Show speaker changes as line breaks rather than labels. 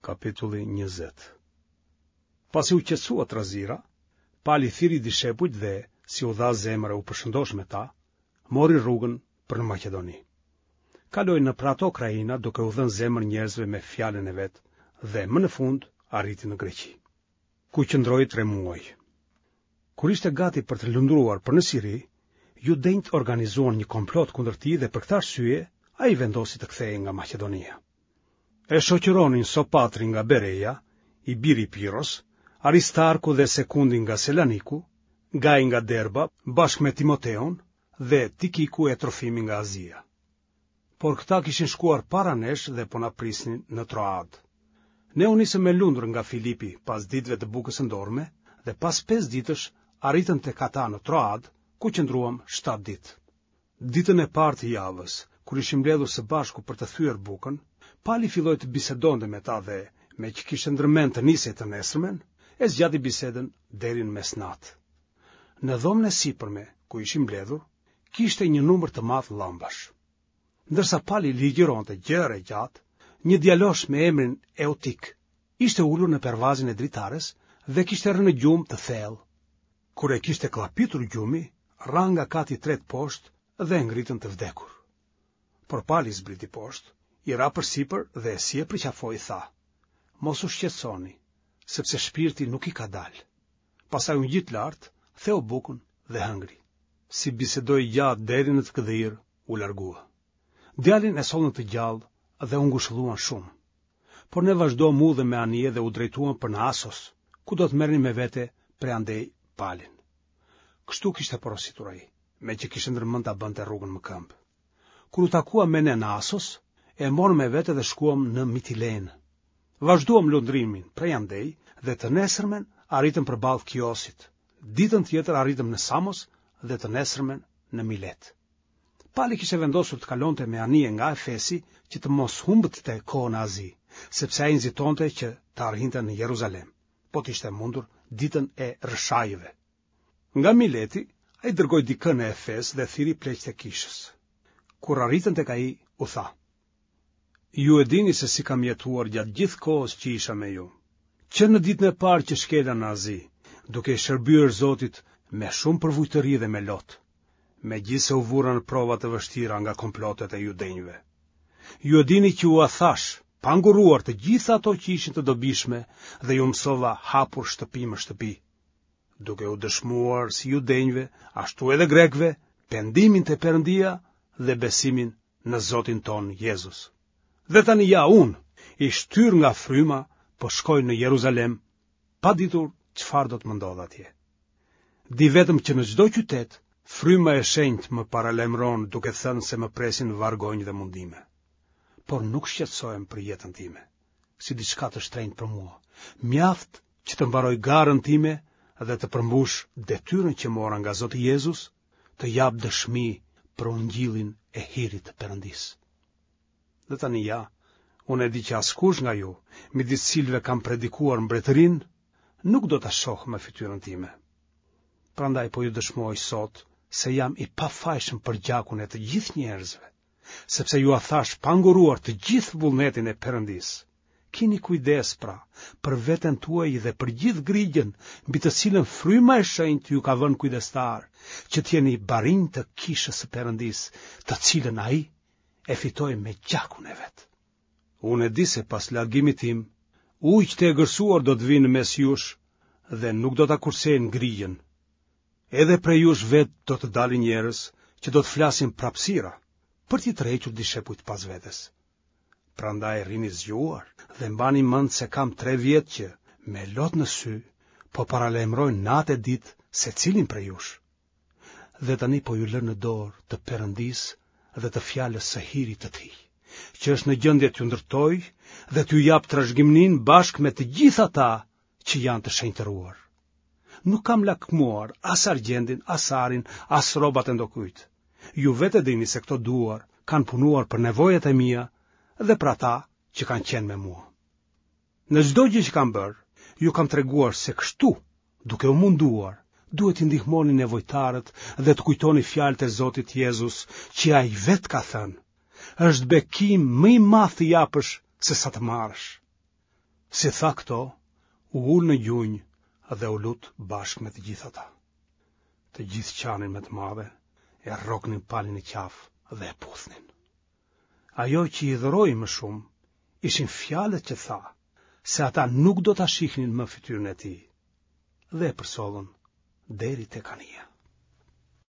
Kapitulli 20 Pasi u qetësua trazira, Pali thirri dishepujt dhe, si u dha zemër e u përshëndosh me ta, mori rrugën për në Maqedoni. Kaloi nëpër ato krahina duke u dhënë zemër njerëzve me fjalën e vet dhe më në fund arriti në Greqi, ku qëndroi tre muaj. Kur ishte gati për të lundruar për në Siri, judenjtë organizuan një komplot kundër tij dhe për këtë arsye ai vendosi të kthehej nga Maqedonia. E shoqëronin Sopatri nga Bereja, i biri i Piros, Aristarku dhe Sekundi nga Selaniku, Gai nga Derba, bashkë me Timoteun dhe Tikiku e Trofimi nga Azia. Por këta kishin shkuar para nesh dhe po na prisnin në Troadë. Ne u nisëm me lundër nga Filipi pas ditëve të bukës së ndorme dhe pas pesë ditësh arritëm tek ata në Troadë, ku qëndruam shtatë ditë. Ditën e parë të javës, kur ishim mbledhur së bashku për të thyer bukën, Pali filloi të bisedonte me ta dhe, meqë kishte ndërmend të nisej të nesërmen, e zgjati bisedën deri në mesnatë. Në dhomën e sipërme, ku ishim mbledhur, kishte një numër të madh llambash. Ndërsa Pali ligjëronte gjerë e gjatë, një djalosh me emrin Eutik ishte ulur në pervazin e dritares dhe kishte rënë në gjumë të thellë. Kur e kishte kllapitur gjumi, ra nga kati i tretë poshtë dhe e ngritën të vdekur. Por Pali zbriti poshtë, i ra përsipër dhe si e përqafoi tha: Mos u shqetësoni, sepse shpirti nuk i ka dalë. Pastaj u ngjit lart, theu bukën dhe hëngri. Si bisedoi gjatë deri në të gdhirë, u largua. Djalin e sollën të gjallë dhe u ngushëlluan shumë. Por ne vazhduam udhën me anije dhe u drejtuam për në Asos, ku do të merrnim me vete prej andej Palin. Kështu kishte porositur ai, meqë kishte ndërmend ta bënte rrugën më këmbë. Kur u takua me ne në Asos, e morëm me vete dhe shkuam në Mitilenë. Vazhduam lundrimin prej andej dhe të nesërmen arritëm përballë Kiosit. Ditën tjetër arritëm në Samos dhe të nesërmen në Milet. Pali kishte vendosur të kalonte me anije nga Efesi që të mos humbte kohë në Azi, sepse ai nxitonte që të arrinte në Jeruzalem, po të ishte e mundur ditën e Rrëshajëve. Nga Mileti, ai dërgoi dikë në Efes dhe thirri pleqtë e kishës. Kur arritën tek ai, u tha: Ju e dini se si kam jetuar gjatë gjithë kohës që isha me ju. Që në ditën e parë që shkela në Azi, duke i shërbyer Zotit me shumë përvujtëri dhe me lot, megjithëse u vura në prova të vështira nga komplotet e judenjve. Ju e dini që ua thashë, pa ngurruar të gjitha ato që ishin të dobishme dhe ju mësova hapur shtëpi më shtëpi, duke u dëshmuar si judenjve, ashtu edhe grekëve, pendimin te Perëndia dhe besimin në Zotin tonë Jezus. Dhe tani ja unë, i shtyrë nga fryma, po shkoj në Jeruzalem, pa ditur çfarë do të më ndodhë atje. Di vetëm që në çdo qytet, fryma e shenjtë më paralajmëron duke thënë se më presin vargonj dhe mundime. Por nuk shqetësohem për jetën time, si diçka të shtrenjtë për mua. Mjaft që të mbaroj garën time dhe të përmbush detyrën që mora nga Zoti Jezus, të jap dëshmi për ungjillin e hirit të Perëndisë. Dhe tani ja, unë e di që askush nga ju, midis cilëve kam predikuar mbretërinë, nuk do ta shohë më fytyrën time. Prandaj po ju dëshmoj sot se jam i pafajshëm për gjakun e të gjithë njerëzve, sepse jua thashë pa ngurruar të gjithë vullnetin e Perëndisë. Kini kujdes pra për veten tuaj dhe për gjithë grigjën mbi të cilën fryma e shenjtë ju ka vënë kujdestarë, që të jeni barinj të kishës së Perëndisë, të cilën ai e fitoi me gjakun e vet. Unë e di se pas largimit tim, ujq të egërsuar do të vijnë në mes jush dhe nuk do ta kursejnë grigjën. Edhe prej jush vetë do të dalin njerëz që do të flasin prapësira, për t'i tërhequr dishepujt pas vetes. Prandaj rrini zgjuar dhe mbani mend se kam tre vjet që, me lot në sy, po paralajmëroj natë e ditë secilin prej jush. Dhe tani po ju lë në dorë të Perëndisë dhe të fjalës së hirit të tij, që është në gjendje t'ju ndërtojë dhe t'ju japë trashëgiminë bashkë me të gjithë ata që janë të shenjtëruar. Nuk kam lakmuar as argjendin, as arin, as rrobat e ndokujt. Ju vetë e dini se këto duar kanë punuar për nevojat e mia dhe për ata që kanë qenë me mua. Në çdo gjë që kam bërë, ju kam treguar se kështu, duke u munduar, duhet t'i ndihmoni nevojtarët dhe të kujtoni fjalët e Zotit Jezus që ai vetë ka thënë. Është bekim më i madh të japësh sesa të marrësh. Si tha këto, u ul në gjunjë dhe u lut bashkë me të gjithë ata. Të gjithë qanin me të madhe, e rroknin Palin në qafë dhe e puthnin. Ajo që i hidhëroi më shumë, ishin fjalët që tha, se ata nuk do ta shihnin më fytyrën e tij, dhe e përcollën deri tek anija.